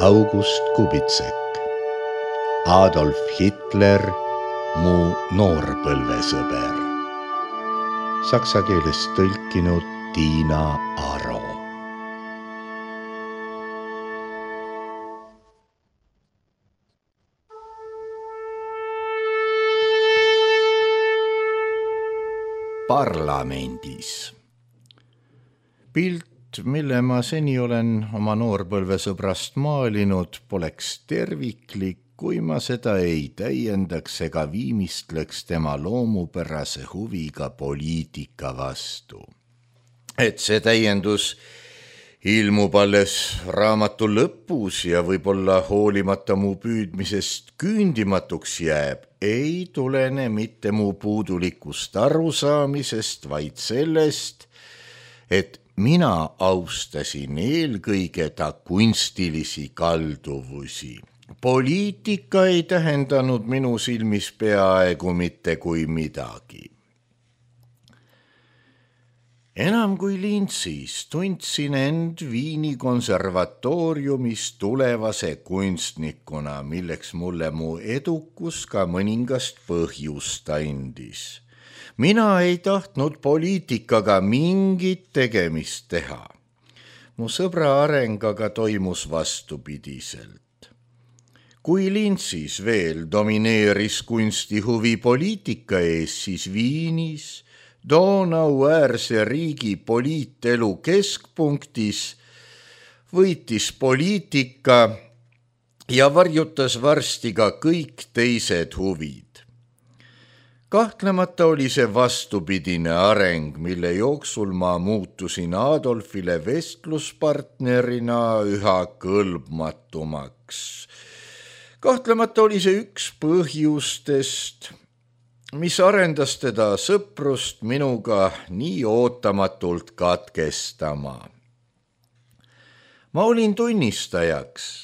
August Kubitsek. Adolf Hitler, mu noorpõlvesõber. Saksa keelest tõlkinud Tiina Aro. Parlamendis. Pilt, mille ma seni olen oma noorpõlvesõbrast maalinud, poleks terviklik, kui ma seda ei täiendaks ega viimistleks tema loomupärase huviga poliitika vastu. Et see täiendus ilmub alles raamatu lõpus ja võib-olla hoolimata mu püüdmisest küündimatuks jääb, ei tulene mitte mu puudulikust arusaamisest, vaid sellest, et mina austasin eelkõige ta kunstilisi kalduvusi. Poliitika ei tähendanud minu silmis peaaegu mitte kui midagi. Enam kui lintsis tundsin end Viini konservatooriumis tulevase kunstnikuna, milleks mulle mu edukus ka mõningast põhjust andis. Mina ei tahtnud poliitikaga mingit tegemist teha. Mu sõbra areng aga toimus vastupidiselt. Kui lintsis veel domineeris kunstihuvi poliitika ees, siis Viinis, Donau-äärse riigi poliitelu keskpunktis, võitis poliitika ja varjutas varsti ka kõik teised huvid. Kahtlemata oli see vastupidine areng, mille jooksul ma muutusin Adolfile vestluspartnerina üha kõlbmatumaks. Kahtlemata oli see üks põhjustest, mis arendas teda sõprust minuga nii ootamatult katkestama. Ma olin tunnistajaks,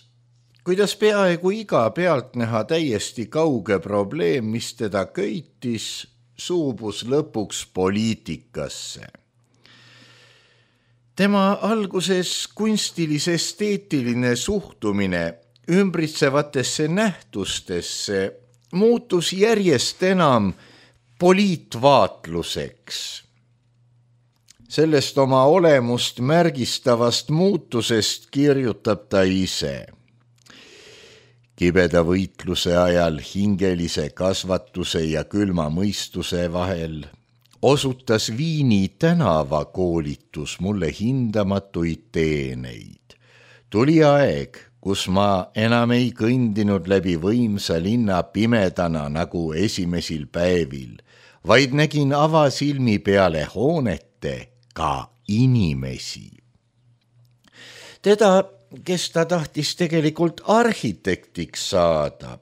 kuidas peaaegu iga pealtnäha täiesti kauge probleem, mis teda köitis, suubus lõpuks poliitikasse. Tema alguses kunstilis-esteetiline suhtumine ümbritsevatesse nähtustesse muutus järjest enam poliitvaatluseks. Sellest oma olemust märgistavast muutusest kirjutab ta ise. Kibeda võitluse ajal hingelise kasvatuse ja külma mõistuse vahel osutas Viini tänavakoolitus mulle hindamatuid teeneid. Tuli aeg, kus ma enam ei kõndinud läbi võimsa linna pimedana nagu esimesel päevil, vaid nägin avasilmi peale hoonete ka inimesi. Teda, kes ta tahtis tegelikult arhitektiks saada,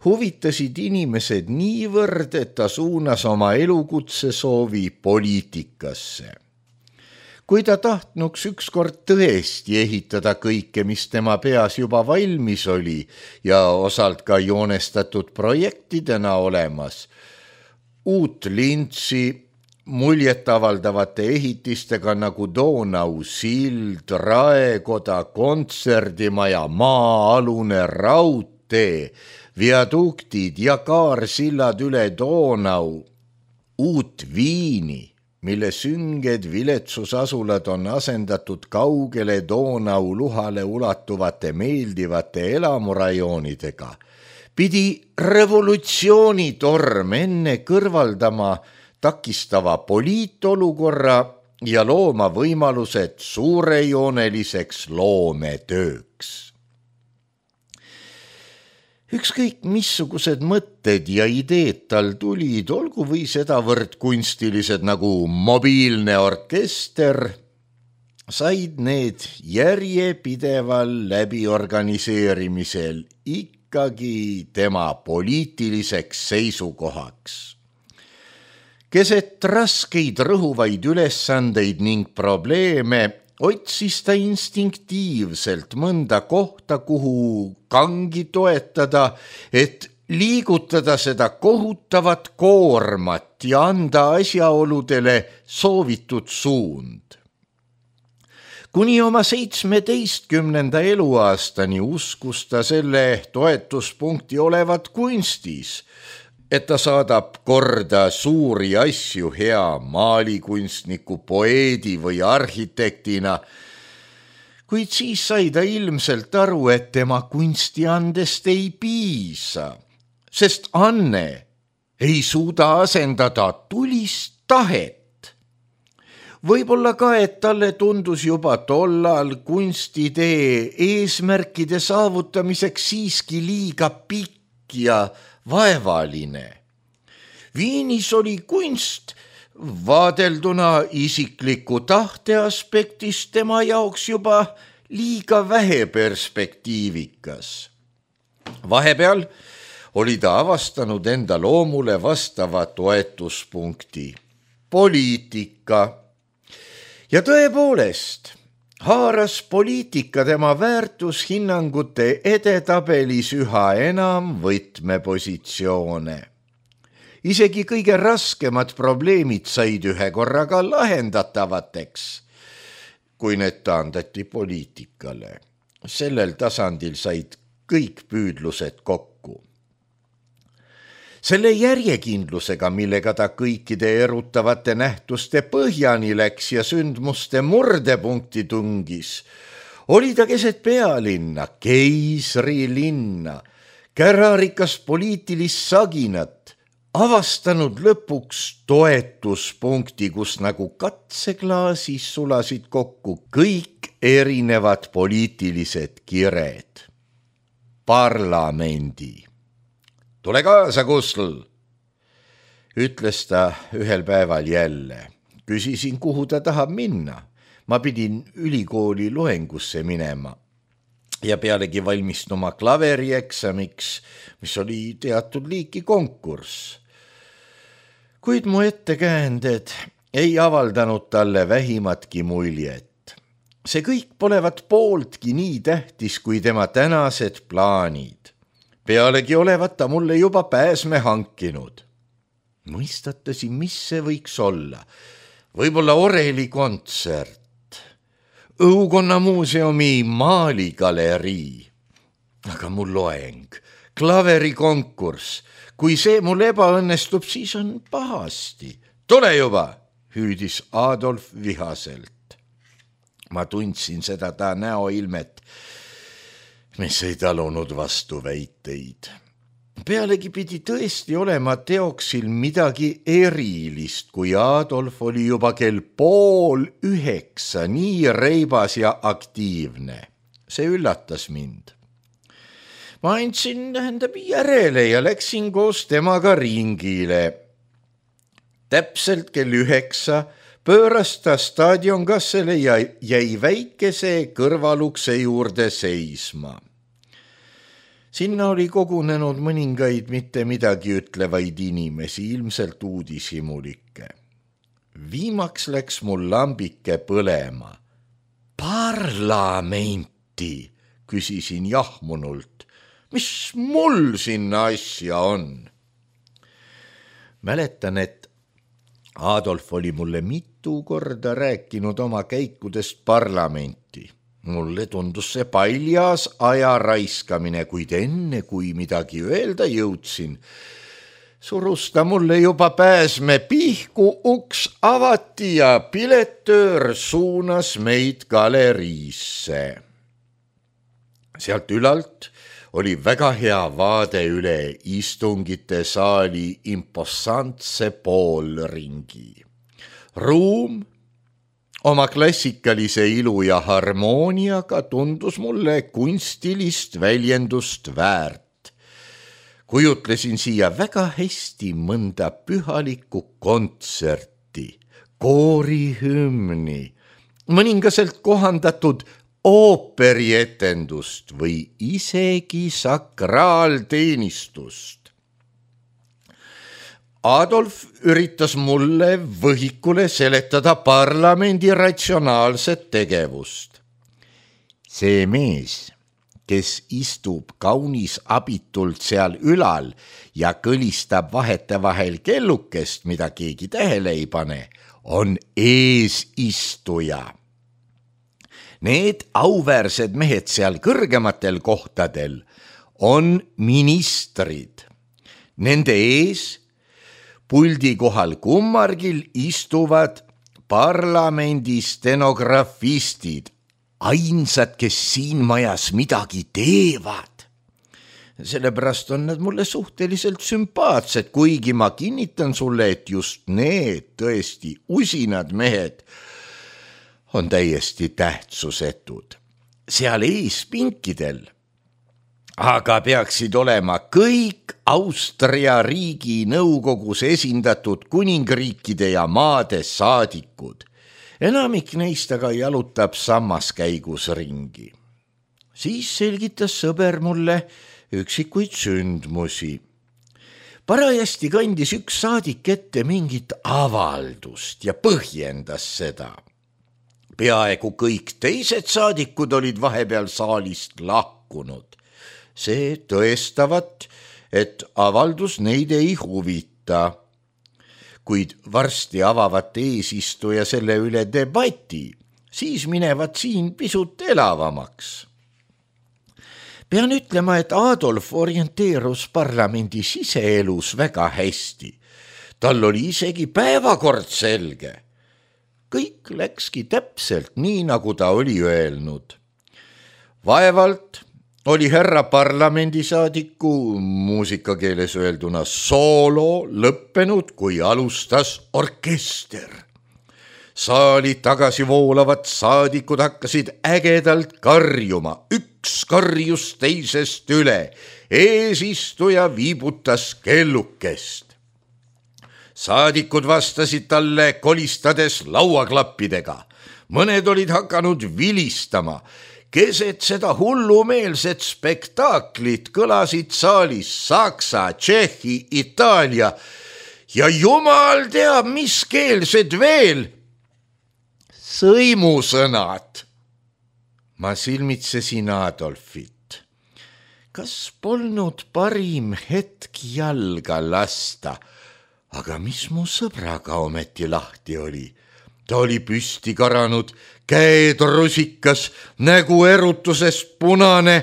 huvitasid inimesed niivõrd, et ta suunas oma elukutse soovi poliitikasse. Kui ta tahtnuks ükskord tõesti ehitada kõike, mis tema peas juba valmis oli ja osalt ka joonestatud projektidena olemas, uut lintsi muljetavaldavate ehitistega nagu Donau sild, raekoda, kontserdimaja, maa-alune raudtee, viaduktid ja kaarsillad üle Donau, uut Viini, mille sünged viletsusasulad on asendatud kaugele Donau luhale ulatuvate meeldivate elamurajoonidega, pidi revolutsioonitorm enne kõrvaldama takistava poliitolukorra ja looma võimalused suurejooneliseks loometööks. Ükskõik missugused mõtted ja ideed tal tulid, olgu või sedavõrd kunstilised nagu mobiilne orkester, said need järjepideval läbiorganiseerimisel ikkagi tema poliitiliseks seisukohaks. Keset raskeid rõhuvaid ülesandeid ning probleeme otsis ta instinktiivselt mõnda kohta, kuhu kangi toetada, et liigutada seda kohutavat koormat ja anda asjaoludele soovitud suund. Kuni oma 17. eluaastani uskus ta selle toetuspunkti olevat kunstis, et ta saadab korda suuri asju hea maalikunstniku, poeedi või arhitektina, kuid siis sai ta ilmselt aru, et tema kunstiandest ei piisa, sest anne ei suuda asendada tulist tahet. Võib-olla ka, et talle tundus juba tollal kunstitee eesmärkide saavutamiseks siiski liiga pikk ja vaevaline. Viinis oli kunst vaadelduna isikliku tahte aspektist tema jaoks juba liiga vähe perspektiivikas. Vahepeal oli ta avastanud enda loomule vastava toetuspunkti, poliitika. Ja tõepoolest, haaras poliitika tema väärtushinnangute edetabelis üha enam võtmepositsioone. Isegi kõige raskemad probleemid said ühe korraga lahendatavateks, kui need taandati poliitikale. Sellel tasandil said kõik püüdlused kokku. Selle järjekindlusega, millega ta kõikide erutavate nähtuste põhjani läks ja sündmuste murdepunkti tungis, oli ta keset pealinna, keisrilinna, kärarikas poliitilist saginat, avastanud lõpuks toetuspunkti, kus nagu katseklaasis sulasid kokku kõik erinevad poliitilised kired. Parlamendi. Tule kaasa, Kusl, ütles ta ühel päeval jälle. Küsisin, kuhu ta tahab minna. Ma pidin ülikooli loengusse minema ja pealegi valmistuma klaverieksamiks, mis oli teatud liiki konkurss. Kuid mu ettekäänded ei avaldanud talle vähimatki muljet. See kõik polevat pooltki nii tähtis kui tema tänased plaanid. Pealegi olevat ta mulle juba pääsme hankinud. Mõistatasin, mis see võiks olla. Võib-olla orelikontsert, Õukonna muuseumi maaligalerii. Aga mul loeng, klaverikonkurss. Kui see mul ebaõnnestub, siis on pahasti. Tule juba, hüüdis Adolf vihaselt. Ma tundsin seda ta näoilmet, mis ei talunud vastu väiteid. Pealegi pidi tõesti olema teoksil midagi erilist, kui Adolf oli juba kell 8:30 nii reibas ja aktiivne. See üllatas mind. Ma andsin järele ja läksin koos temaga ringile. Täpselt kell 9 pööras ta staadionkassele ja jäi väikese kõrvalukse juurde seisma. Sinna oli kogunenud mõningaid mitte midagi ütlevaid inimesi, ilmselt uudishimulikke. Viimaks läks mul lambike põlema. Parlamenti, küsisin jahmunult. Mis mul sinna asja on? Mäletan, et Adolf oli mulle mitu korda rääkinud oma käikudest parlamenti. Mulle tundus see paljas aja raiskamine, kuid enne kui midagi öelda jõudsin, surus ta mulle juba pääsme pihku, uks avati ja piletöör suunas meid galeriisse. Sealt ülalt oli väga hea vaade üle istungite saali imposantse poolringi. Ruum oma klassikalise ilu ja harmooniaga tundus mulle kunstilist väljendust väärt. Kujutlesin siia väga hästi mõnda pühalikku kontserti, koorihümni, mõningaselt kohandatud ooperietendust või isegi sakraalteenistust. Adolf üritas mulle võhikule seletada parlamendi ratsionaalset tegevust. See mees, kes istub kaunis abitult seal ülal ja kõlistab vahetevahel kellukest, mida keegi tähele ei pane, on eesistuja. Need auväärsed mehed seal kõrgematel kohtadel on ministrid. Nende ees puldi kohal kummargil istuvad parlamendi stenografistid, ainsad, kes siin majas midagi teevad. Sellepärast on nad mulle suhteliselt sümpaatsed, kuigi ma kinnitan sulle, et just need tõesti usinad mehed on täiesti tähtsusetud. Seal ees pinkidel aga peaksid olema kõik Austria riigi nõukogus esindatud kuningriikide ja maade saadikud. Enamik neist aga jalutab sammaskäigus ringi. Siis selgitas sõber mulle üksikuid sündmusi. Parajasti kandis üks saadik ette mingit avaldust ja põhjendas seda. Peaaegu kõik teised saadikud olid vahepeal saalist lahkunud. See tõestavat, et avaldus neid ei huvita. Kuid varsti avavat eesistuja selle üle debati, siis minevad siin pisut elavamaks. Pean ütlema, et Adolf orienteerus parlamendi siseelus väga hästi. Tal oli isegi päevakord selge. Kõik läkski täpselt nii, nagu ta oli öelnud. Vaevalt oli härra parlamendisaadiku muusikakeeles öelduna soolo lõppenud, kui alustas orkester. Saali tagasi voolavad saadikud hakkasid ägedalt karjuma, üks karjus teisest üle, eesistuja viibutas kellukest. Saadikud vastasid talle kolistades lauaklappidega, mõned olid hakanud vilistama. Keset seda hullumeelset spektaaklit kõlasid saalis Saksa, Tšehhi, Itaalia ja jumal teab, mis keelsed veel sõimusõnad. Ma silmitsesin Adolfit. Kas polnud parim hetk jalga lasta, aga mis mu sõbraga ometi lahti oli? Ta oli püsti karanud, käed rusikas, nägu erutusest punane.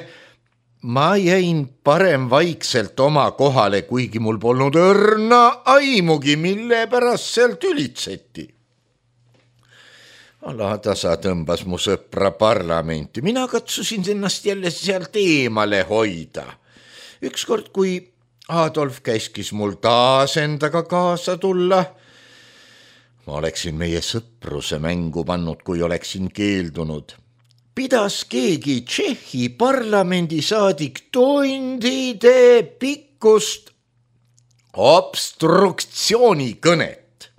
Ma jäin parem vaikselt oma kohale, kuigi mul polnud õrna aimugi, mille pärast sealt ülitseti. Alatasa tõmbas mu sõpra parlamenti. Mina katsusin ennast jälle sealt eemale hoida. Ükskord, kui Adolf käskis mul taas endaga kaasa tulla, ma oleksin meie sõpruse mängu pannud, kui oleksin keeldunud. Pidas keegi Tšehhi parlamendisaadik tundide pikkust obstruktsioonikõnet.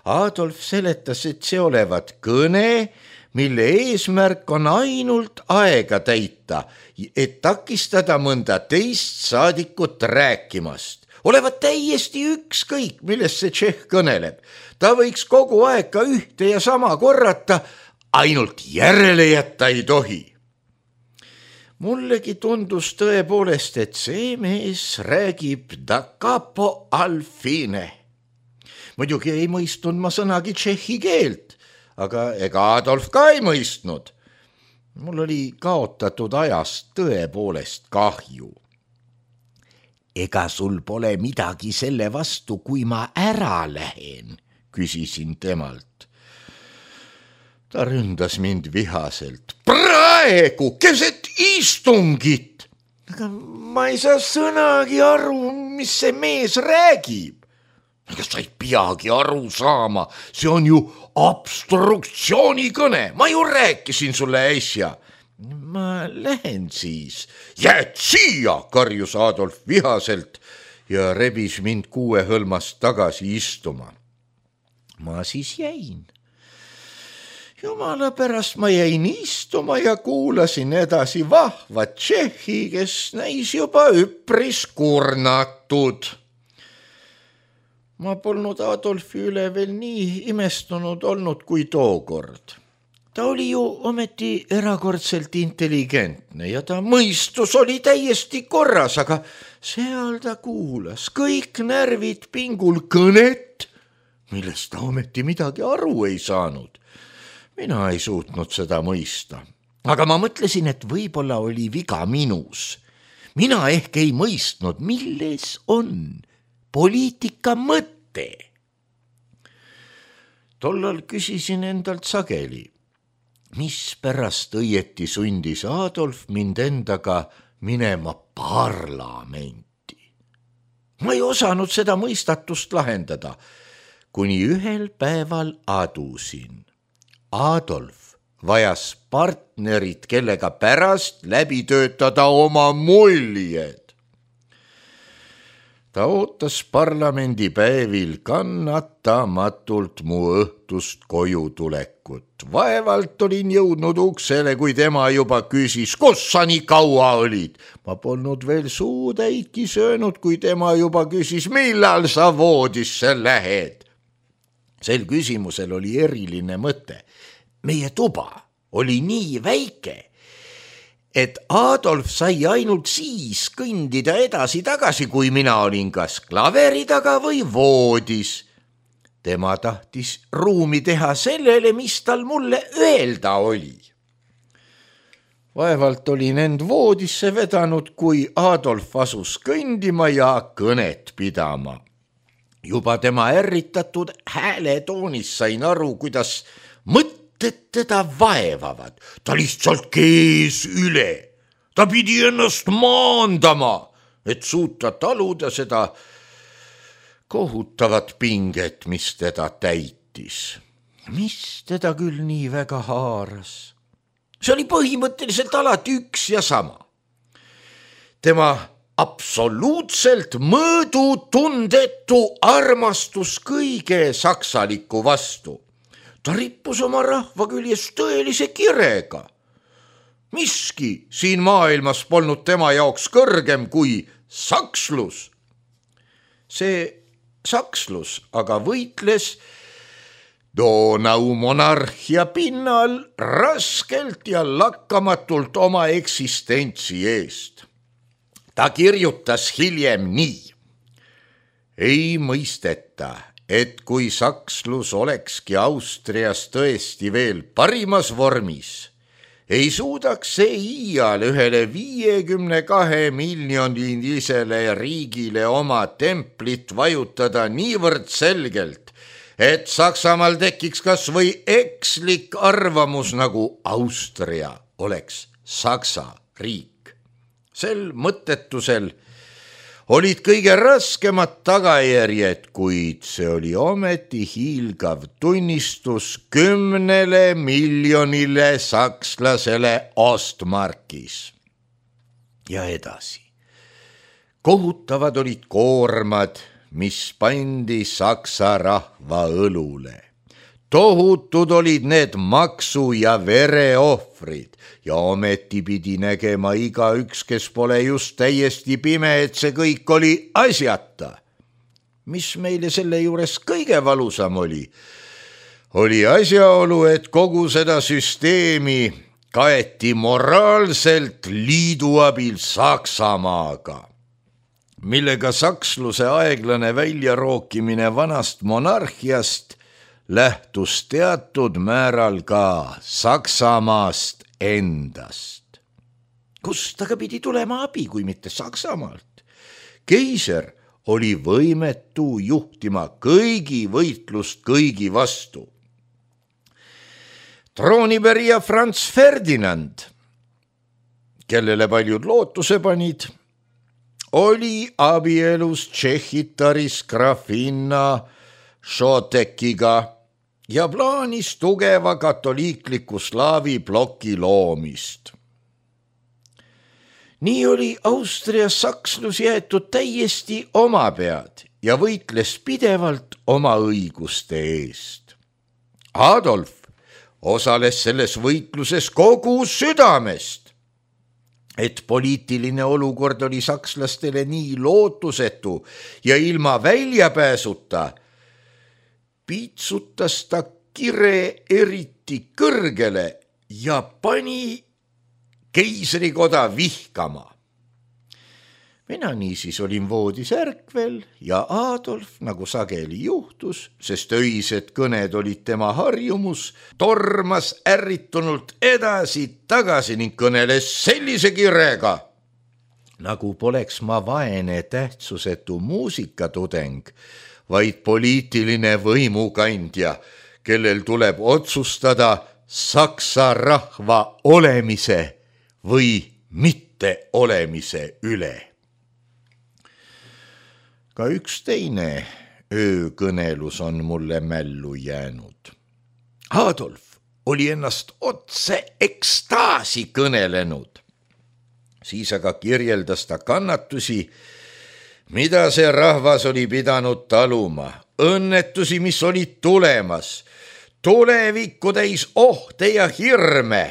Adolf seletas, et see olevat kõne, mille eesmärk on ainult aega täita, et takistada mõnda teist saadikut rääkimast. Olevat täiesti ükskõik, millest see Tšehh kõneleb. Ta võiks kogu aeg ka ühte ja sama korrata, ainult järele jätta ei tohi. Mullegi tundus tõepoolest, et see mees räägib da capo al fine. Muidugi ei mõistnud ma sõnagi tšehhi keelt, aga ega Adolf ka ei mõistnud. Mul oli kaotatud ajast tõepoolest kahju. Ega sul pole midagi selle vastu, kui ma ära lähen, küsisin temalt. Ta ründas mind vihaselt. Praegu, keset istungit! Aga ma ei saa sõnagi aru, mis see mees räägib. Aga sa ei peagi aru saama, see on ju obstruktsioonikõne, ma ju rääkisin sulle äsja. Ma lähen siis. Jääd siia, karjus Adolf vihaselt ja rebis mind kuuehõlmast tagasi istuma. Ma siis jäin. Jumala pärast ma jäin istuma ja kuulasin edasi vahva Tšehhi, kes näis juba üpris kurnatud. Ma polnud Adolfi üle veel nii imestunud olnud kui tookord. Ta oli ju ometi erakordselt intelligentne ja ta mõistus oli täiesti korras, aga seal ta kuulas kõik närvid pingul kõnet, millest ta ometi midagi aru ei saanud. Mina ei suutnud seda mõista. aga ma mõtlesin, et võib-olla oli viga minus. Mina ehk ei mõistnud, milles on poliitika mõte. Tollal küsisin endalt sageli, mispärast õieti sundis Adolf mind endaga minema parlamenti. Ma ei osanud seda mõistatust lahendada, kuni ühel päeval adusin. Adolf vajas partnerit, kellega pärast läbi töötada oma muljed. Ta ootas parlamendipäevil kannatamatult mu õhtust koju tulekut. Vaevalt olin jõudnud uksele, kui tema juba küsis, kus sa nii kaua olid. Ma polnud veel suutäitki söönud, kui tema juba küsis, millal sa voodisse lähed. Sel küsimusel oli eriline mõte. Meie tuba oli nii väike, et Adolf sai ainult siis kõndida edasi-tagasi, kui mina olin kas klaveri taga või voodis. Tema tahtis ruumi teha sellele, mis tal mulle öelda oli. Vaevalt olin end voodisse vedanud, kui Adolf asus kõndima ja kõnet pidama. Juba tema ärritatud hääletoonis sain aru, kuidas mõtted teda vaevavad. Ta lihtsalt kees üle. Ta pidi ennast maandama, et suuta taluda seda kohutavat pinget, mis teda täitis. Mis teda küll nii väga haaras? See oli põhimõtteliselt alati üks ja sama. Tema absoluutselt mõõdutundetu armastus kõige saksaliku vastu. Ta rippus oma rahva küljes tõelise kirega. Miski siin maailmas polnud tema jaoks kõrgem kui sakslus. See sakslus aga võitles Donau monarhia pinnal raskelt ja lakkamatult oma eksistentsi eest. Ta kirjutas hiljem nii. Ei mõisteta, et kui sakslus olekski Austrias tõesti veel parimas vormis, ei suudaks see iial ühele 52 miljonilisele riigile oma templit vajutada niivõrd selgelt, et Saksamaal tekiks kas või ekslik arvamus, nagu Austria oleks Saksa riik. Sel mõttetusel olid kõige raskemad tagajärjed, kuid see oli ometi hiilgav tunnistus 10 miljonile sakslasele Ostmarkis. Ja edasi. Kohutavad olid koormad, mis pandi Saksa rahva õlule. Tohutud olid need maksu- ja vereohvrid ja ometi pidi nägema igaüks, kes pole just täiesti pime, et see kõik oli asjata. Mis meile selle juures kõige valusam oli asjaolu, et kogu seda süsteemi kaeti moraalselt liidu abil Saksamaaga, millega saksluse aeglane väljarookimine vanast monarhiast lähtus teatud määral ka Saksamaast endast. Kust aga pidi tulema abi, kui mitte Saksamaalt? Keiser oli võimetu juhtima kõigi võitlust kõigi vastu. Troonipärija Franz Ferdinand, kellele paljud lootuse panid, oli abielus tšehhitaris grafinna Šotekiga ja plaanis tugeva katoliikliku slaavi ploki loomist. Nii oli Austrias sakslus jäetud täiesti oma pead ja võitles pidevalt oma õiguste eest. Adolf osales selles võitluses kogu südamest, et poliitiline olukord oli sakslastele nii lootusetu ja ilma väljapääsuta, piitsutas ta kire eriti kõrgele ja pani keisrikoda vihkama. mina niisiis olin voodis ärkvel ja Adolf, nagu sageli juhtus, sest öised kõned olid tema harjumus, tormas ärritunult edasi-tagasi ning kõneles sellise kirega, nagu poleks ma vaene tähtsusetu muusikatudeng, vaid poliitiline võimukandja, kellel tuleb otsustada saksa rahva olemise või mitte olemise üle. Ka üks teine öökõnelus on mulle mällu jäänud. Adolf oli ennast otse ekstaasi kõnelenud. Siis aga kirjeldas ta kannatusi, mida see rahvas oli pidanud taluma, õnnetusi, mis olid tulemas, tulevikku täis ohte ja hirme.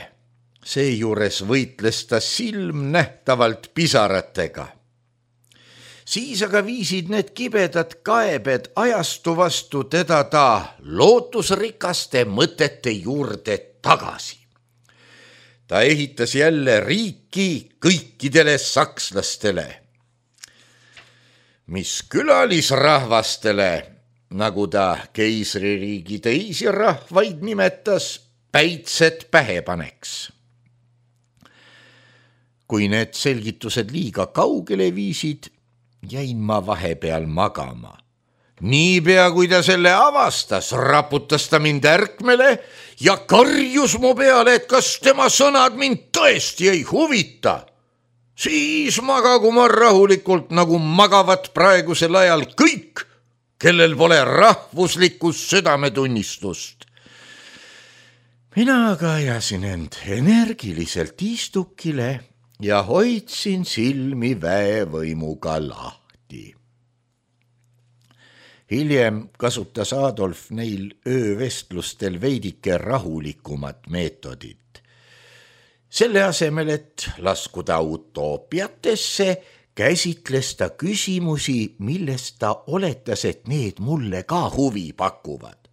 Seejuures võitles ta silmnähtavalt pisaratega. Siis aga viisid need kibedad kaebed ajastu vastu teda ta lootusrikaste mõtete juurde tagasi. Ta ehitas jälle riiki kõikidele sakslastele, mis külalisrahvastele, nagu ta keisririigi teisi rahvaid nimetas, päitsed pähe paneks. Kui need selgitused liiga kaugele viisid, jäin ma vahepeal magama. Niipea kui ta selle avastas, raputas ta mind ärkmele ja karjus mu peale, et kas tema sõnad mind tõesti ei huvita. Siis magagu ma rahulikult, nagu magavad praegusel ajal kõik, kellel pole rahvuslikust südametunnistust. Mina aga ajasin end energiliselt istukile ja hoidsin silmi väevõimuga lahti. Hiljem kasutas Adolf neil öövestlustel veidike rahulikumat meetodit. Selle asemel, et laskuda utoopiatesse, käsitles ta küsimusi, millest ta oletas, et need mulle ka huvi pakuvad.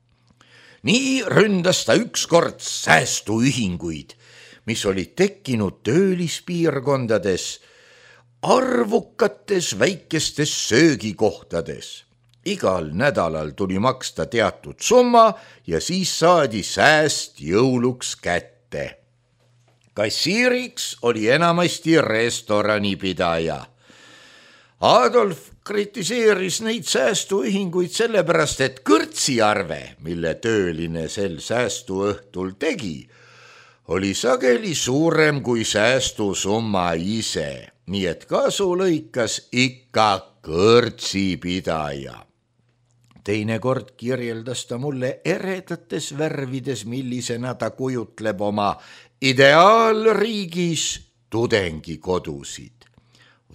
Nii ründas ta ükskord säästuühinguid, mis olid tekkinud töölispiirkondades, arvukates väikestes söögikohtades. Igal nädalal tuli maksta teatud summa ja siis saadi sääst jõuluks kätte. Kassiiriks oli enamasti restoranipidaja. Adolf kritiseeris neid säästuühinguid sellepärast, et kõrtsiarve, mille tööline sel säästuõhtul tegi, oli sageli suurem kui säästusumma ise, nii et kasu lõikas ikka kõrtsipidaja. Teinekord kirjeldas ta mulle eredates värvides, millisena ta kujutleb oma ideaalriigis tudengikodusid.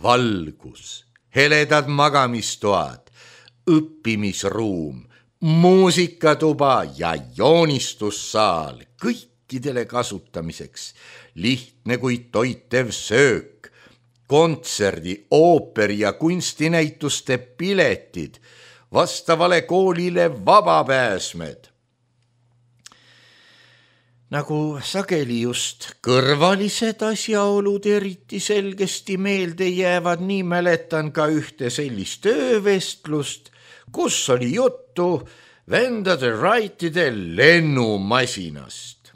Valgus, heledad magamistoad, õppimisruum, muusikatuba ja joonistussaal, kõikidele kasutamiseks, lihtne kui toitev söök, kontserdi, ooperi ja kunstinäituste piletid, vastavale koolile vabapääsmed. Nagu sageli just kõrvalised asjaolud eriti selgesti meelde jäävad, nii mäletan ka ühte sellist öövestlust, kus oli juttu vendade Wrightide lennumasinast.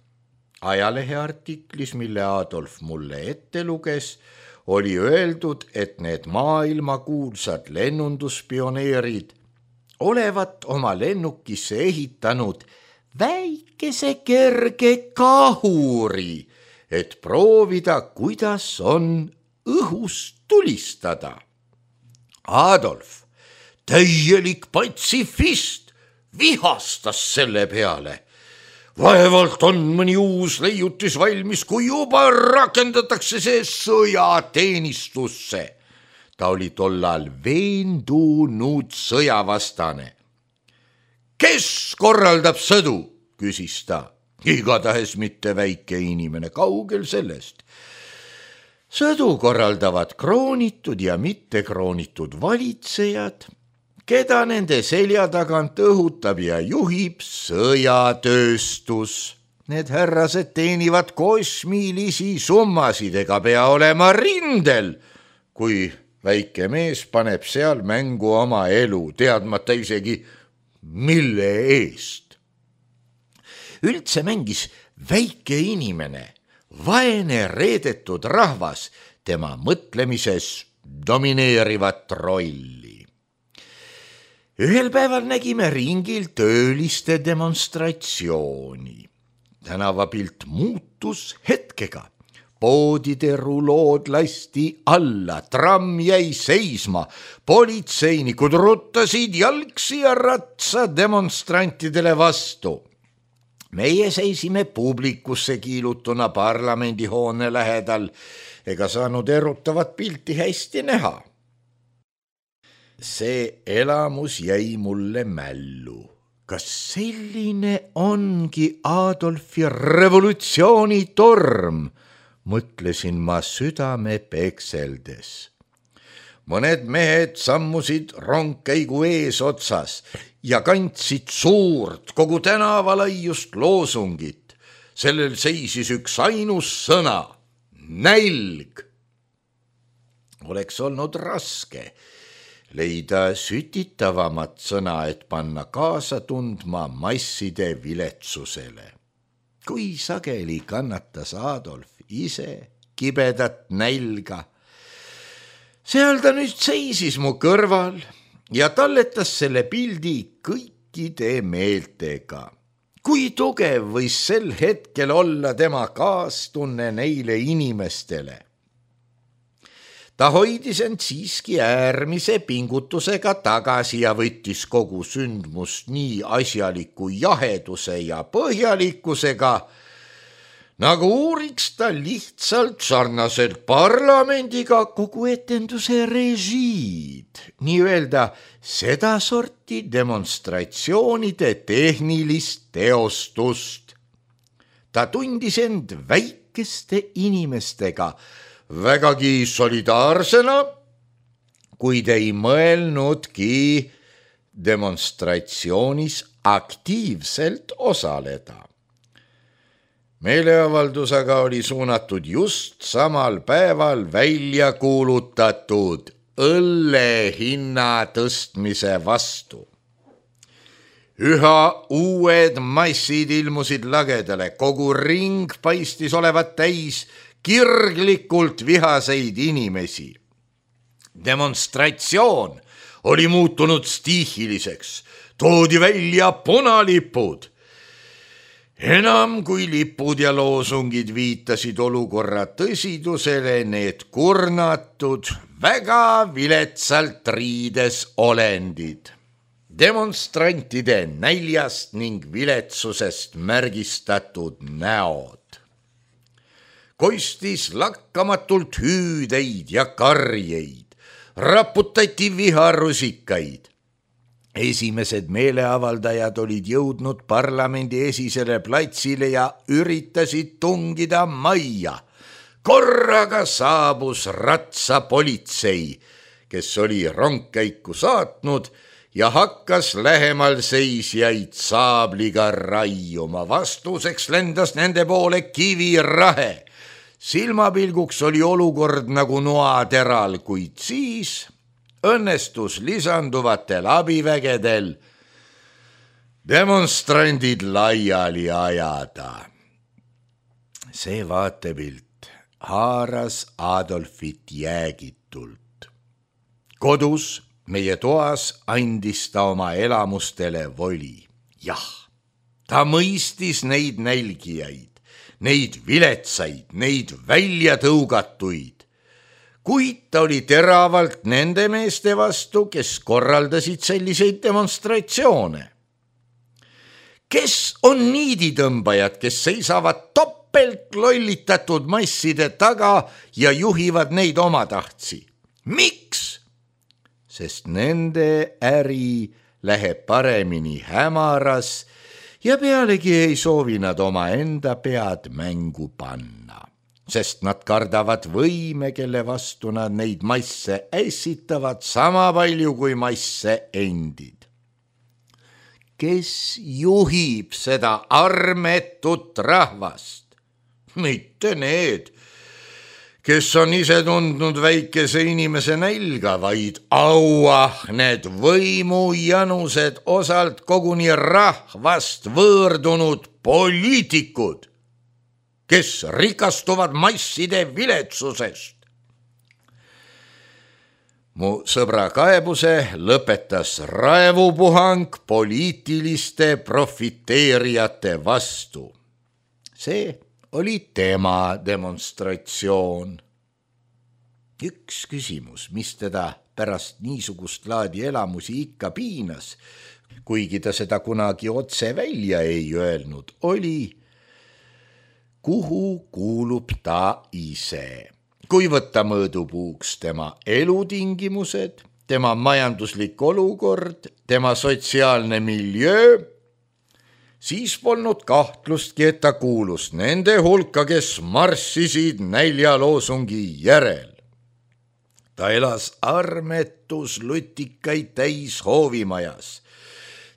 Ajaleheartiklis, mille Adolf mulle ette luges, oli öeldud, et need maailmakuulsad lennunduspioneerid olevat oma lennukisse ehitanud väikese kerge kahuri, et proovida, kuidas on õhust tulistada. Adolf, täielik patsifist, vihastas selle peale. Vaevalt on mõni uus leiutis valmis, kui juba rakendatakse see sõjateenistusse. Ta oli tollal veendunud sõjavastane. Kes korraldab sõdu, küsis ta. Igatahes mitte väike inimene, kaugel sellest. Sõdu korraldavad kroonitud ja mitte kroonitud valitsejad, keda nende selja tagant õhutab ja juhib sõjatööstus. Need härrased teenivad kosmilisi summasid ega pea olema rindel, kui väike mees paneb seal mängu oma elu, teadmata isegi, mille eest. Üldse mängis väike inimene, vaene reedetud rahvas, tema mõtlemises domineerivat rolli. Ühel päeval nägime ringil tööliste demonstratsiooni. Tänavapilt muutus hetkega. Poodide rulood lasti alla, tramm jäi seisma, politseinikud ruttasid jalgsi ja ratsa demonstrantidele vastu. Meie seisime publikusse kiilutuna parlamendihoone lähedal, ega saanud erutavat pilti hästi näha. See elamus jäi mulle mällu. Kas selline ongi Adolfi revolutsioonitorm? Mõtlesin ma südame pekseldes. Mõned mehed sammusid rongkäigu eesotsas ja kandsid suurt kogu tänavalaiust loosungit. Sellel seisis üks ainus sõna, nälg. Oleks olnud raske leida sütitavamat sõna, et panna kaasa tundma masside viletsusele. Kui sageli kannatas Adolf ise kibedat nälga. Seal ta nüüd seisis mu kõrval ja talletas selle pildi kõikide meeltega. Kui tugev võis sel hetkel olla tema kaastunne neile inimestele. Ta hoidis end siiski äärmise pingutusega tagasi ja võttis kogu sündmust nii asjaliku jaheduse ja põhjalikkusega, nagu uuriks ta lihtsalt sarnaselt parlamendiga kogu etenduse režiid, nii-öelda sedasorti demonstratsioonide tehnilist teostust. Ta tundis end väikeste inimestega vägagi solidaarsena, kuid ei mõelnudki demonstratsioonis aktiivselt osaleda. Meeleavaldusega oli suunatud just samal päeval välja kuulutatud õlle hinna tõstmise vastu. Üha uued massid ilmusid lagedale, kogu ring paistis olevat täis kirglikult vihaseid inimesi. Demonstratsioon oli muutunud stiihiliseks, toodi välja punalipud. Enam kui lipud ja loosungid viitasid olukorra tõsidusele, need kurnatud, väga viletsalt riides olendid. Demonstrantide näljast ning viletsusest märgistatud näod. Kostis lakkamatult hüüdeid ja karjeid, raputati viharusikaid. Esimesed meeleavaldajad olid jõudnud parlamendi esisele platsile ja üritasid tungida majja. Korraga saabus ratsapolitsei, kes oli rongkäiku saatnud ja hakkas lähemal seisjaid saabliga raiuma. Vastuseks lendas nende poole kivirahe. Silmapilguks oli olukord nagu noateral, kuid siis õnnestus lisanduvatel abivägedel demonstrandid laiali ajada. See vaatepilt haaras Adolfit jäägitult. Kodus meie toas andis ta oma elamustele voli. Jah, ta mõistis neid nälgijaid, neid viletsaid, neid väljatõugatuid. Kuid ta oli teravalt nende meeste vastu, kes korraldasid selliseid demonstratsioone. Kes on niiditõmbajad, kes seisavad topelt lollitatud masside taga ja juhivad neid omatahtsi? Miks? Sest nende äri läheb paremini hämaras ja pealegi ei soovi nad omaenda pead mängu panna. Sest nad kardavad võime, kelle vastu nad neid masse ässitavad sama palju kui masse endid. Kes juhib seda armetut rahvast? Mitte need, kes on ise tundnud väikese inimese nälga, vaid auahned võimujanused, osalt koguni rahvast võõrdunud poliitikud, kes rikastuvad masside viletsusest. Mu sõbra kaebuse lõpetas raevupuhang poliitiliste profiteerijate vastu. See oli tema demonstratsioon. Üks küsimus, mis teda pärast niisugust laadi elamusi ikka piinas, kuigi ta seda kunagi otse välja ei öelnud, oli, kuhu kuulub ta ise. Kui võtta mõõdupuuks tema elutingimused, tema majanduslik olukord, tema sotsiaalne miljöö, siis polnud kahtlustki, et ta kuulus nende hulka, kes marssisid näljaloosungi järel. Ta elas armetus lutikaid täis hoovimajas.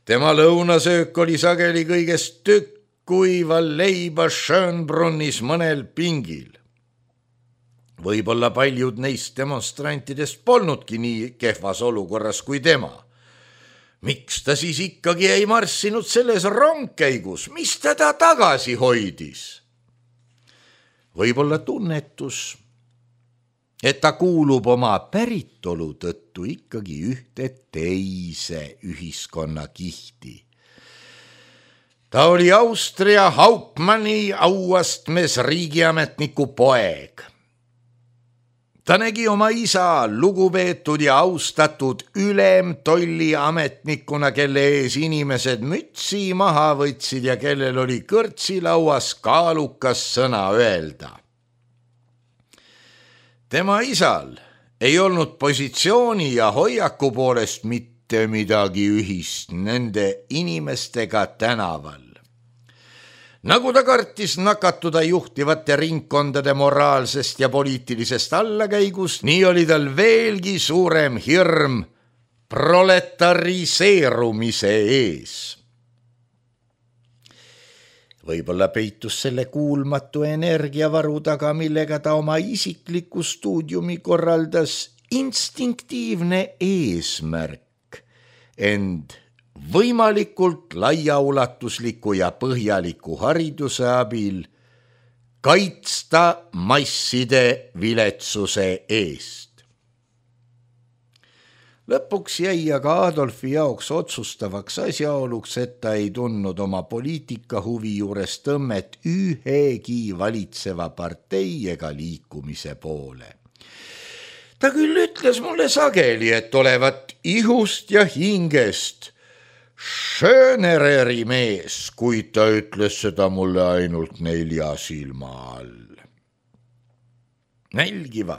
Tema lõunasöök oli sageli kõigest tükk kuiva leiba Schönbrunnis mõnel pingil. Võib-olla paljud neist demonstrantidest polnudki nii kehvas olukorras kui tema. Miks ta siis ikkagi ei marssinud selles rongkäigus, mis teda tagasi hoidis? Võib-olla tunnetus, et ta kuulub oma päritolu tõttu ikkagi ühte teise ühiskonnakihti. Ta oli Austria Hauptmanni auastmes riigiametniku poeg. Ta nägi oma isa lugupeetud ja austatud ülemtolliametnikuna, kelle ees inimesed mütsi maha võtsid ja kellel oli kõrtsilauas kaalukas sõna öelda. Tema isal ei olnud positsiooni ja hoiaku poolest mitte midagi ühist nende inimestega tänaval. Nagu ta kartis nakatuda juhtivate ringkondade moraalsest ja poliitilisest allakäigust, nii oli tal veelgi suurem hirm proletariseerumise ees. Võib-olla peitus selle kuulmatu energiavaru taga, millega ta oma isikliku stuudiumi korraldas, instinktiivne eesmärk, ent võimalikult laiaulatusliku ja põhjaliku hariduse abil kaitsta masside viletsuse eest. Lõpuks jäi aga Adolfi jaoks otsustavaks asjaoluks, et ta ei tundnud oma poliitikahuvi juures tõmmet ühegi valitseva partei ega liikumise poole. Ta küll ütles mulle sageli, et olevat ihust ja hingest Schönereri mees, kuid ta ütles seda mulle ainult 4 silma all. Nälgiva,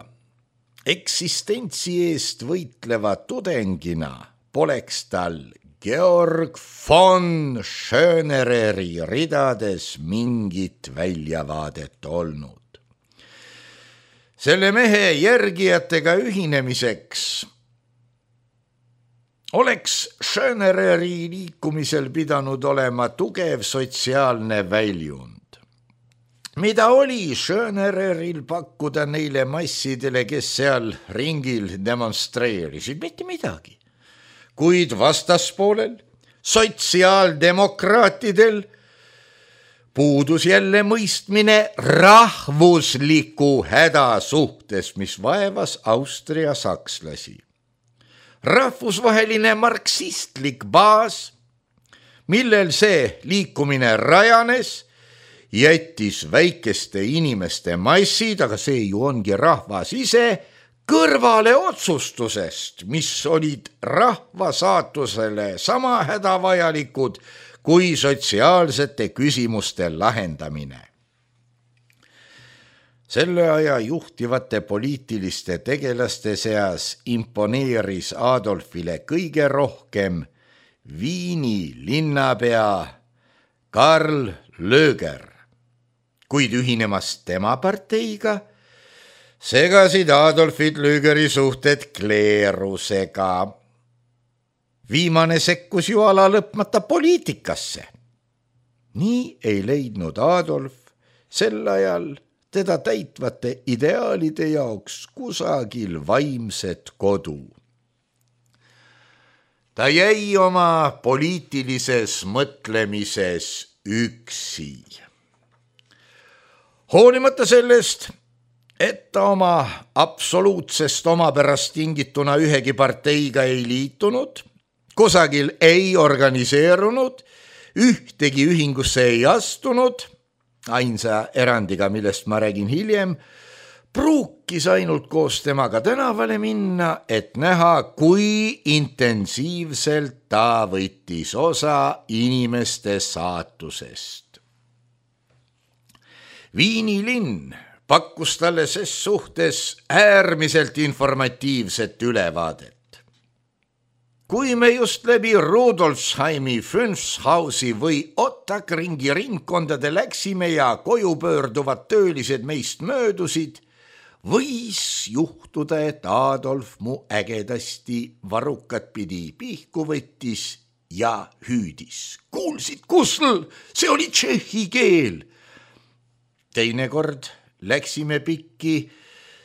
eksistentsi eest võitleva tudengina poleks tal Georg von Schönereri ridades mingit väljavaadet olnud. Selle mehe järgijatega ühinemiseks oleks Schönereri liikumisel pidanud olema tugev sotsiaalne väljund. Mida oli Schönereril pakkuda neile massidele, kes seal ringil demonstreerisid? Mitte midagi. Kuid vastaspoolel, sotsiaaldemokraatidel, puudus jälle mõistmine rahvusliku häda suhtes, mis vaevas Austria sakslasi. Rahvusvaheline marksistlik baas, millel see liikumine rajanes, jättis väikeste inimeste massid, aga see ju ongi rahvas ise, kõrvale otsustusest, mis olid rahva saatusele sama hädavajalikud kui sotsiaalsete küsimuste lahendamine. Selle aja juhtivate poliitiliste tegelaste seas imponeeris Adolfile kõige rohkem Viini linnapea Karl Löger, kuid ühinemas tema parteiga segasid Adolfit Lögeri suhted kleerusega. Viimane sekkus ju ala lõpmata poliitikasse. Nii ei leidnud Adolf sel ajal teda täitvate ideaalide jaoks kusagil vaimset kodu. Ta jäi oma poliitilises mõtlemises üksi. Hoolimata sellest, et ta oma absoluutsest omapärast tingituna ühegi parteiga ei liitunud, kusagil ei organiseerunud, ühtegi ühingusse ei astunud, ainsa erandiga, millest ma räägin hiljem, pruukis ainult koos temaga tänavale minna, et näha, kui intensiivselt ta võttis osa inimeste saatusest. Viini linn pakkus talle ses suhtes äärmiselt informatiivset ülevaadet. Kui me just läbi Rudolfsheimi, Fünfshausi või Ottakringi ringkondade läksime ja koju pöörduvad töölised meist möödusid, võis juhtuda, et Adolf mu ägedasti varukat pidi pihku võttis ja hüüdis. Kuulsid, Kusl, see oli tšehhi keel. Teinekord läksime pikki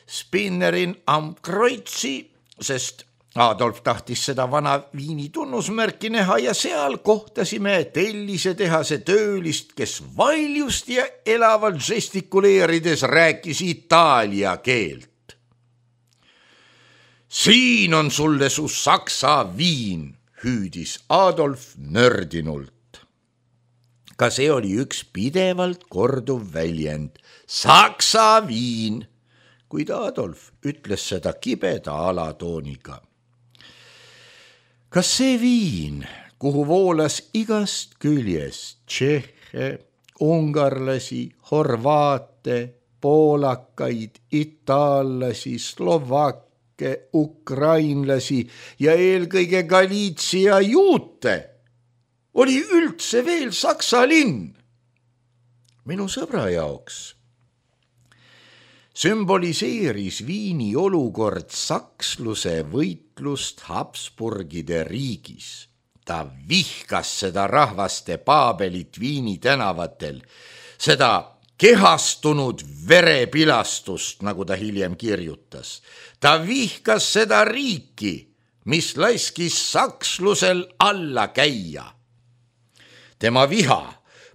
Spinnerin am Kreutzi, sest Adolf tahtis seda vana Viini tunnusmärki näha ja seal kohtasime tellisetehase töölist, kes valjust ja elavalt žestikuleerides rääkis itaalia keelt. Siin on sulle su saksa viin, hüüdis Adolf nördinult. Ka see oli üks pidevalt korduv väljend, saksa viin, kuid Adolf ütles seda kibeda alatooniga. Kas see viin, kuhu voolas igast küljest tšehhe, ungarlasi, horvaate, poolakaid, itaallasi, slovakke, ukrainlasi ja eelkõige Galiitsia juute, oli üldse veel saksa linn? Minu sõbra jaoks sümboliseeris Viini olukord saksluse võitlust Habsburgide riigis. Ta vihkas seda rahvaste paabelit Viini tänavatel, seda kehastunud verepilastust, nagu ta hiljem kirjutas. Ta vihkas seda riiki, mis laskis sakslusel alla käia. Tema viha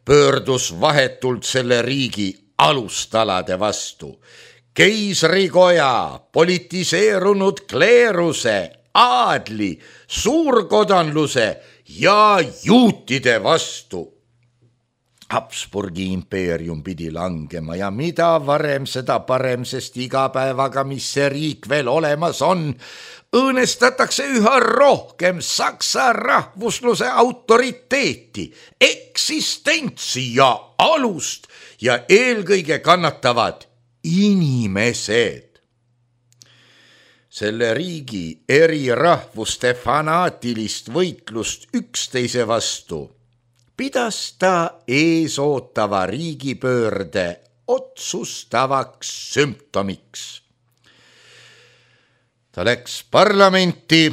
pöördus vahetult selle riigi alustalade vastu. Keisrikoja, politiseerunud kleeruse, aadli, suurkodanluse ja juutide vastu. Habsburgi impeerium pidi langema ja mida varem, seda parem, sest iga päevaga, mis see riik veel olemas on, õõnestatakse üha rohkem saksa rahvusluse autoriteeti, eksistentsi ja alust ja eelkõige kannatavad inimesed. Selle riigi eri rahvuste fanaatilist võitlust üksteise vastu pidas ta eesootava riigipöörde otsustavaks sümptomiks. Ta läks parlamenti,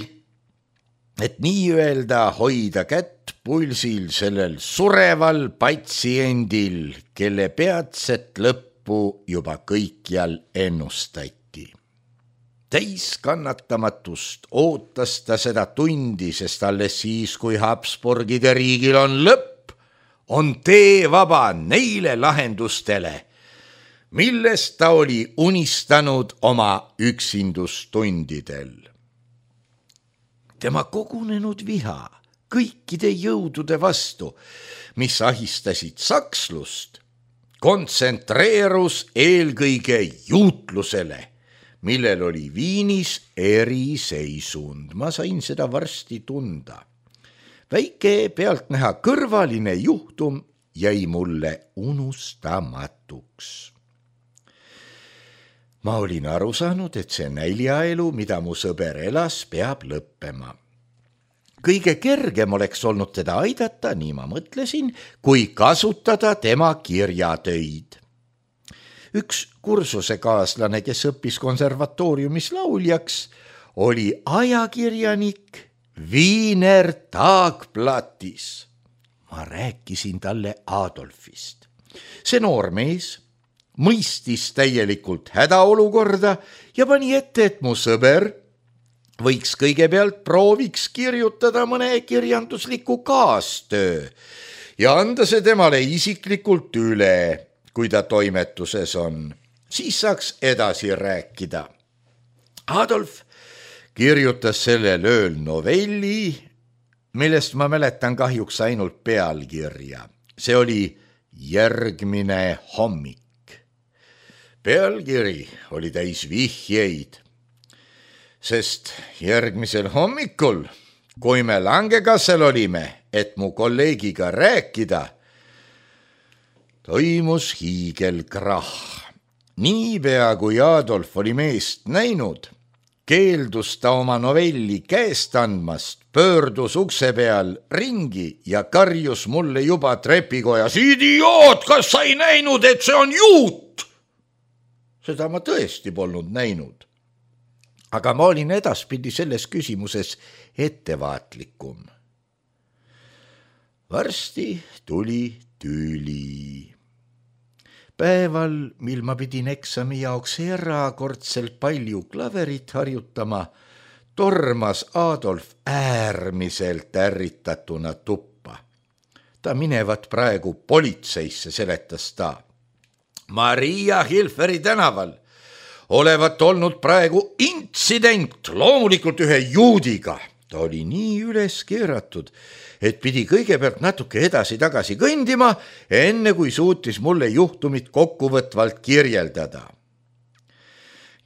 et nii-öelda hoida kätt pulsil sellel sureval patsiendil, kelle peatset lõppu juba kõikjal ennustati. Täis kannatamatust ootas ta seda tundi, sest alles siis, kui Habsburgide riigil on lõpp, on tee vaba neile lahendustele, millest ta oli unistanud oma üksindustundidel. Tema kogunenud viha kõikide jõudude vastu, mis ahistasid sakslust, kontsentreerus eelkõige juutlusele, millel oli Viinis eriseisund. Ma sain seda varsti tunda. Väike pealtnäha kõrvaline juhtum jäi mulle unustamatuks. Ma olin aru saanud, et see näljaelu, mida mu sõber elas, peab lõppema. Kõige kergem oleks olnud teda aidata, nii ma mõtlesin, kui kasutada tema kirjatöid. Üks kursusekaaslane, kes õppis konservatooriumis lauljaks, oli ajakirjanik Wiener Tagblattis. Ma rääkisin talle Adolfist. See noor mees, mõistis täielikult hädaolukorda ja pani ette, et mu sõber võiks kõigepealt prooviks kirjutada mõne kirjandusliku kaastöö ja anda see temale isiklikult üle, kui ta toimetuses on. Siis saaks edasi rääkida. Adolf kirjutas sellel ööl novelli, millest ma mäletan kahjuks ainult pealkirja. See oli Järgmine hommik. Pealkiri oli täis vihjeid, sest järgmisel hommikul, kui me Langekassel olime, et mu kolleegiga rääkida, toimus hiigelkrahh. Niipea kui Adolf oli meest näinud, keeldus ta oma novelli käest andmast, pöördus ukse peal ringi ja karjus mulle juba trepikojas: idioot, kas sa ei näinud, et see on juut? Seda ma tõesti polnud näinud. Aga ma olin edaspidi selles küsimuses ettevaatlikum. Varsti tuli tüli. Päeval, mil ma pidin eksami jaoks erakordselt palju klaverit harjutama, tormas Adolf äärmiselt ärritatuna tuppa. Ta minevat praegu politseisse, seletas ta. Maria Hilferi tänaval olevat olnud praegu intsident, loomulikult ühe juudiga. Ta oli nii üles keeratud, et pidi kõigepealt natuke edasi-tagasi kõndima, enne kui suutis mulle juhtumit kokkuvõtvalt kirjeldada.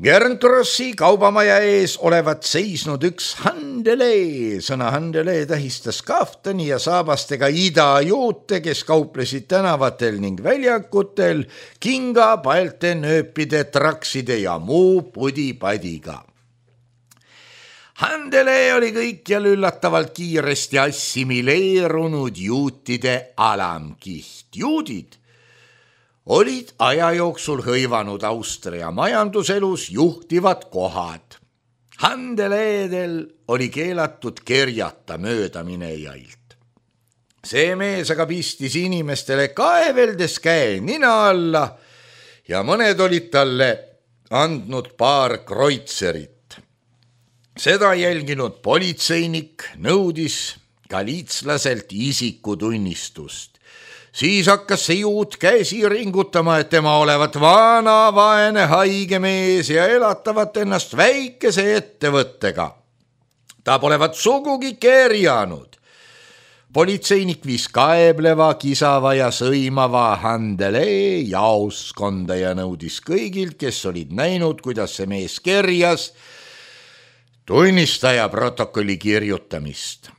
Gerntrossi kaubamaja ees olevat seisnud üks handelee. Sõna handelee tähistas kaftani ja saabastega idajuute, kes kauplesid tänavatel ning väljakutel kinga, paelte, nööpide, trakside ja muu pudipadiga. Handelee oli kõikjal üllatavalt kiiresti assimileerunud juutide alamkiht. Juudid olid aja jooksul hõivanud Austria majanduselus juhtivad kohad. Handeleedel oli keelatud kerjata möödaminejailt. See mees aga pistis inimestele kaeveldes käe nina alla ja mõned olid talle andnud paar kreutzerit. Seda jälginud politseinik nõudis galiitslaselt isikutunnistust. Siis hakkas see juut käsi ringutama, et tema olevat vana, vaene, haige mees ja elatavat ennast väikese ettevõttega. Ta polevat sugugi kerjanud. Politseinik viis kaebleva, kisava ja sõimava handelee jaoskonda ja nõudis kõigilt, kes olid näinud, kuidas see mees kerjas, tunnistaja protokolli kirjutamist.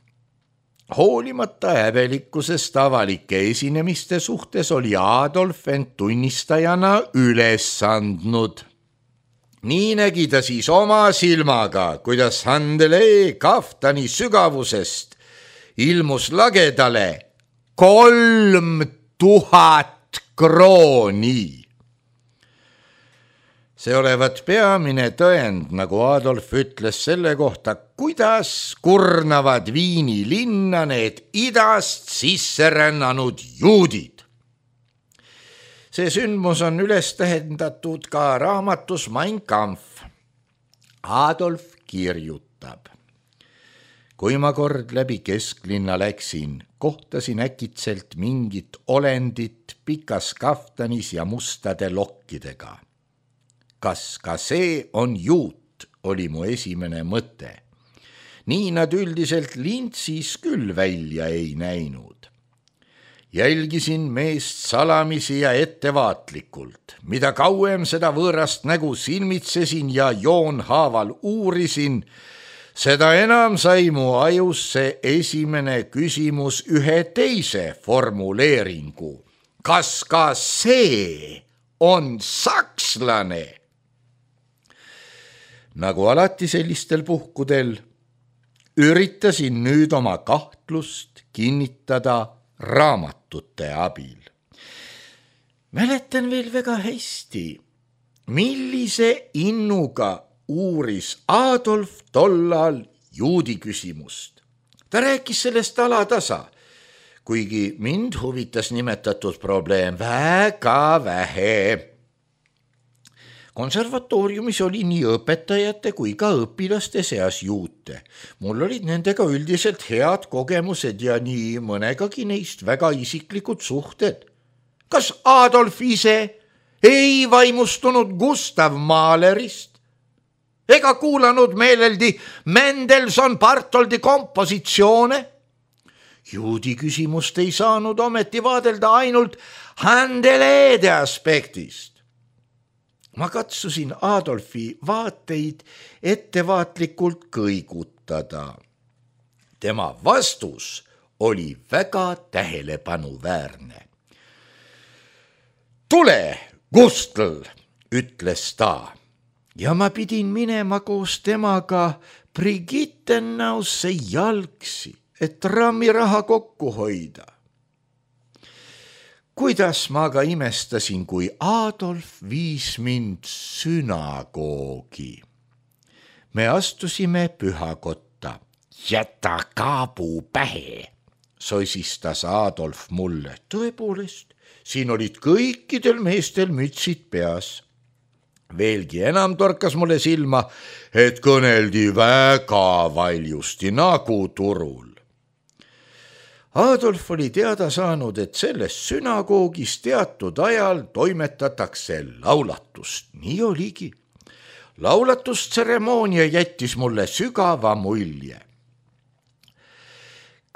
Hoolimata häbelikkusest avalike esinemiste suhtes oli Adolf end tunnistajana üles andnud. Nii nägi ta siis oma silmaga, kuidas handelee kaftani sügavusest ilmus lagedale 3000 krooni. See olevat peamine tõend, nagu Adolf ütles selle kohta, kuidas kurnavad Viini linna need idast sisse rännanud juudid. See sündmus on üles tähendatud ka raamatus Mein Kampf. Adolf kirjutab. Kui ma kord läbi kesklinna läksin, kohtasin äkitselt mingit olendit pikas kaftanis ja mustade lokkidega. Kas ka see on juut, oli mu esimene mõte. Nii nad üldiselt lintsis küll välja ei näinud. Jälgisin meest salamisi ja ettevaatlikult. Mida kauem seda võõrast nägu silmitsesin ja joonhaaval uurisin, seda enam sai mu ajusse esimene küsimus ühe teise formuleeringu. Kas ka see on sakslane? Nagu alati sellistel puhkudel, üritasin nüüd oma kahtlust kinnitada raamatute abil. Mäletan veel väga hästi, millise innuga uuris Adolf tollal juudi küsimust. Ta rääkis sellest alatasa, kuigi mind huvitas nimetatud probleem väga vähe. Konservatooriumis oli nii õpetajate kui ka õpilaste seas juute. Mul olid nendega üldiselt head kogemused ja nii mõnegagi neist väga isiklikud suhted. Kas Adolf ise ei vaimustunud Gustav Mahlerist ega kuulanud meeleldi Mendelssohn Bartholdi kompositsioone? Juudi küsimust ei saanud ometi vaadelda ainult Handeleede aspektist. Ma katsusin Adolfi vaateid ettevaatlikult kõigutada. Tema vastus oli väga tähelepanuväärne. Tule, Gustl, ütles ta, ja ma pidin minema koos temaga Brigittenausse jalgsi, et trammiraha kokku hoida. Kuidas ma aga imestasin, kui Adolf viis mind sünagoogi. Me astusime pühakotta. Jäta kaabuu pähe, soisistas Adolf mulle. Tõepoolest, siin olid kõikidel meestel mütsid peas. Veelgi enam torkas mulle silma, et kõneldi väga valjusti nagu turul. Adolf oli teada saanud, et selles sünagoogis teatud ajal toimetatakse laulatust. Nii oligi. Laulatusteremoonia jättis mulle sügava mulje.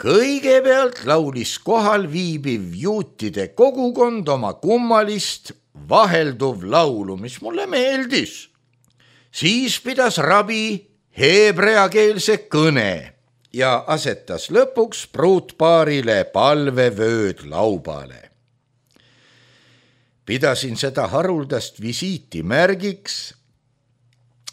Kõigepealt laulis kohal viibiv juutide kogukond oma kummalist vahelduv laulu, mis mulle meeldis. Siis pidas rabi heebreakeelse kõne ja asetas lõpuks pruutpaarile palvevööd laubale. Pidasin seda haruldast visiiti märgiks,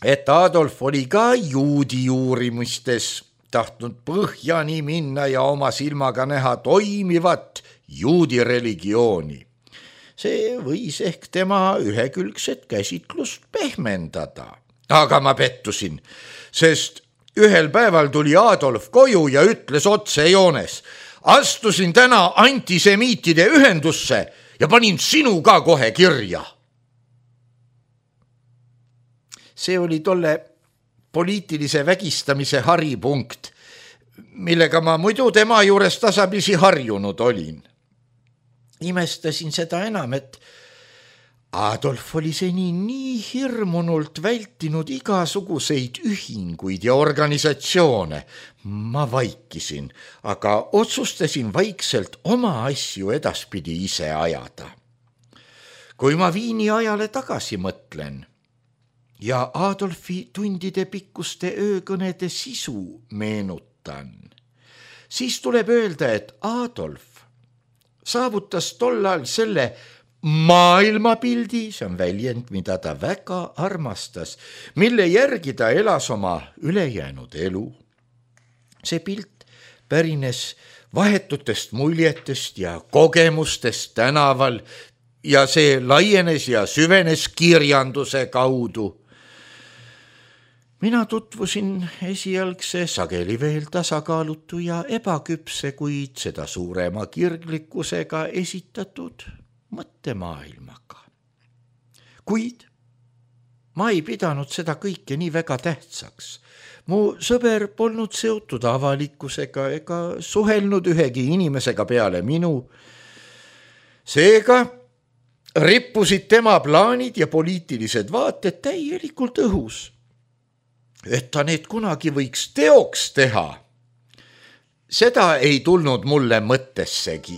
et Adolf oli ka juudi uurimistes tahtnud põhjani minna ja oma silmaga näha toimivat juudi religiooni. See võis ehk tema ühekülgset käsitlust pehmendada. Aga ma pettusin, sest ühel päeval tuli Adolf koju ja ütles otsejoones: astusin täna antisemiitide ühendusse ja panin sinu ka kohe kirja. See oli tolle poliitilise vägistamise haripunkt, millega ma muidu tema juures tasapisi harjunud olin. Imestasin seda enam, et Adolf oli seni nii hirmunult vältinud igasuguseid ühinguid ja organisatsioone. Ma vaikisin, aga otsustasin vaikselt oma asju edaspidi ise ajada. Kui ma Viini ajale tagasi mõtlen ja Adolfi tundide pikkuste öökõnede sisu meenutan, siis tuleb öelda, et Adolf saavutas tollal selle maailmapildi, see on väljend, mida ta väga armastas, mille järgi ta elas oma ülejäänud elu. See pilt pärines vahetutest muljetest ja kogemustest tänaval ja see laienes ja süvenes kirjanduse kaudu. Mina tutvusin esialgse sageli veel tasakaalutu ja ebaküpse, kuid seda suurema kirglikkusega esitatud mõttemaailmaga. Kuid ma ei pidanud seda kõike nii väga tähtsaks. Mu sõber polnud seotud avalikkusega ega suhelnud ühegi inimesega peale minu. Seega rippusid tema plaanid ja poliitilised vaated täielikult õhus. Et ta need kunagi võiks teoks teha, seda ei tulnud mulle mõttessegi.